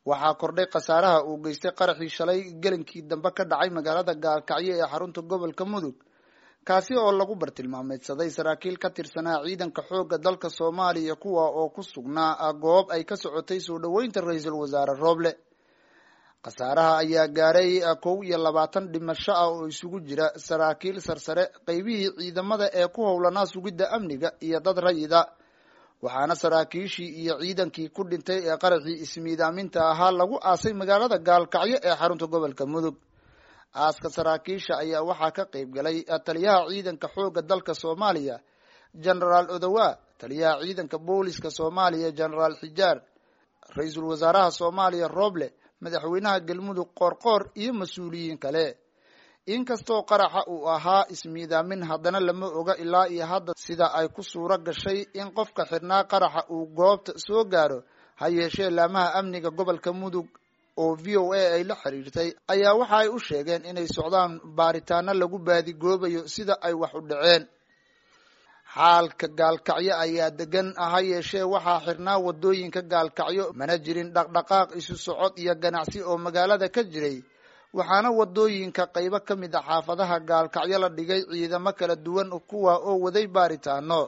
Waxaa kordhay khasaaraha uu geystay qaraxii shalay gelinkii dambe ka dhacay magaalada Gaalkacyo ee xarunta gobolka Mudug, kaasi oo lagu bartilmaameedsaday saraakiil ka tirsanaa ciidanka xoogga dalka Soomaaliya, kuwa oo ku sugnaa goob ay ka socotay soo dhoweynta ra-iisul wasaare Rooble. Khasaaraha ayaa gaaray 21 dhimasho ah oo isugu jira saraakiil sarsare, qeybihii ciidamada ee ku howlanaa sugidda amniga iyo dad rayida, waxaana saraakiishii iyo ciidankii ku dhintay ee qaraxii ismiidaaminta ahaa lagu aasay magaalada Gaalkacyo ee xarunta gobolka Mudug. Aaska saraakiisha ayaa waxaa ka qayb galay taliyaha ciidanka xoogga dalka Soomaaliya Genaraal Odowa, taliyaha ciidanka booliska Soomaaliya Genaraal Xijaar, ra-iisul wasaaraha Soomaaliya Rooble, madaxweynaha Galmudug Qoorqoor iyo mas-uuliyiin kale. Inkastoo qaraxa uu ahaa ismiidaamin, haddana lama oga ilaa iyo hadda sida ay ku suuro gashay in qofka xidhnaa qaraxa uu goobta soo gaaro. Ha yeeshee laamaha amniga gobolka Mudug oo VOA ay la xiriirtay ayaa waxa ay u sheegeen inay socdaan baaritaano lagu baadigoobayo sida ay wax u dhaceen. Xaalka Gaalkacyo ayaa degan, ha yeeshee waxaa xirnaa wadooyinka Gaalkacyo, mana jirin dhaqdhaqaaq isu socod iyo ganacsi oo magaalada ka jiray, waxaana wadooyinka qaybo ka mid a xaafadaha Gaalkacyo la dhigay ciidamo kala duwan, kuwa oo waday baaritaano.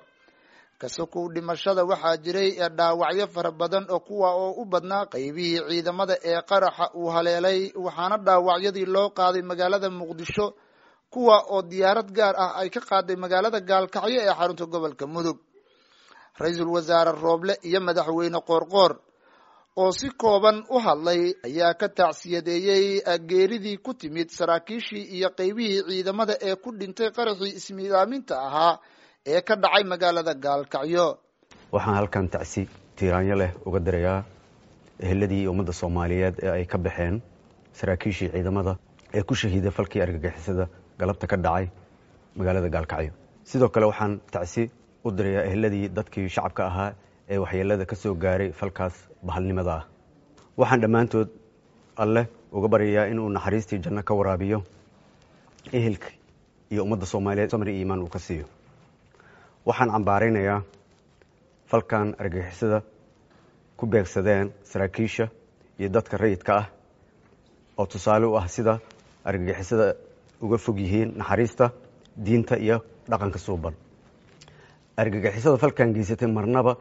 Kasokow dhimashada waxaa jiray dhaawacyo fara badan oo kuwa oo u badnaa qaybihii ciidamada ee qaraxa uu haleelay, waxaana dhaawacyadii loo qaaday magaalada Muqdisho, kuwa oo diyaarad gaar ah ay ka qaaday magaalada Gaalkacyo ee xarunta gobolka Mudug. Ra-iisul wasaare Rooble iyo madaxweyne Qoorqoor oo si kooban u hadlay ayaa ka tacsiyadeeyey geeridii ku timid saraakiishii iyo qaybihii ciidamada ee ku dhintay qaraxii ismiidaaminta ahaa ee ka dhacay magaalada Gaalkacyo. Waxaan halkan tacsi tiiraanyo leh uga dirayaa eheladii iyo ummadda Soomaaliyeed ee ay ka baxeen saraakiishii ciidamada ee ku shahiiday falkii argagixisada galabta ka dhacay magaalada Gaalkacyo. Sidoo kale waxaan tacsi u dirayaa eheladii dadkii shacabka ahaa ee waxyeelada ka soo gaaray falkaas bahalnimada ah. Waxaan dhammaantood Alleh uga baryayaa inuu naxariistii janno ka waraabiyo, ehelka iyo ummadda Soomaaliyeed samri iyo iimaan uu ka siiyo. Waxaan cambaaraynayaa falkan argagixisada ku beegsadeen saraakiisha iyo dadka rayidka ah, oo tusaale u ah sida argagixisada uga fog yihiin naxariista, diinta iyo dhaqanka suuban. Argagixisada falkan geysatay marnaba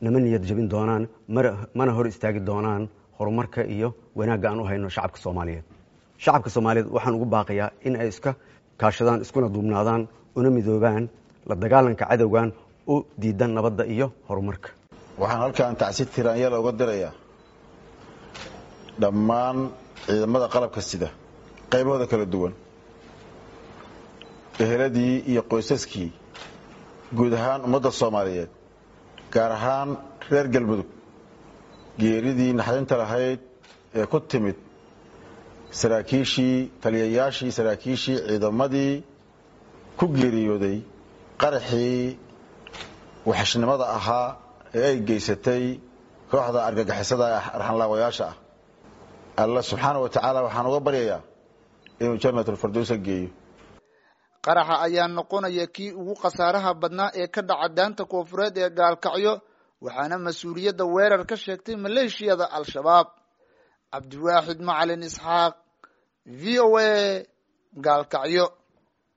nama niyad jabin doonaan, mana hor istaagi doonaan horumarka iyo wanaagga aan u hayno shacabka Soomaaliyeed. Shacabka Soomaaliyeed waxaan ugu baaqayaa in ay iska kaashadaan, iskuna duubnaadaan, una midoobaan la dagaalanka cadowgan u diidan nabadda iyo horumarka. Waxaan halkan tacsi tiraanyala uga dirayaa dhammaan ciidamada qalabka sida qaybahooda kala duwan, eheladii iyo qoysaskii, guud ahaan ummadda Soomaaliyeed, gaar ahaan reer Galmudug, geeridii naxdinta lahayd ee ku timid saraakiishii, taliyayaashii, saraakiishii ciidamadii ku geeriyooday qaraxii waxashnimada ahaa ee ay geysatay kooxda argagixisada arxanlaawayaasha ah. Alla subxaana wa tacaala waxaan uga baryayaa inuu jannatulfardowsa geeyo. Qaraxa ayaa noqonaya kii ugu khasaaraha badnaa ee ka dhaca daanta koonfureed ee Gaalkacyo, waxaana mas-uuliyadda weerar ka sheegtay maleeshiyada Al-Shabaab. Cabdiwaaxid Macalin Isxaaq, VOA, Gaalkacyo.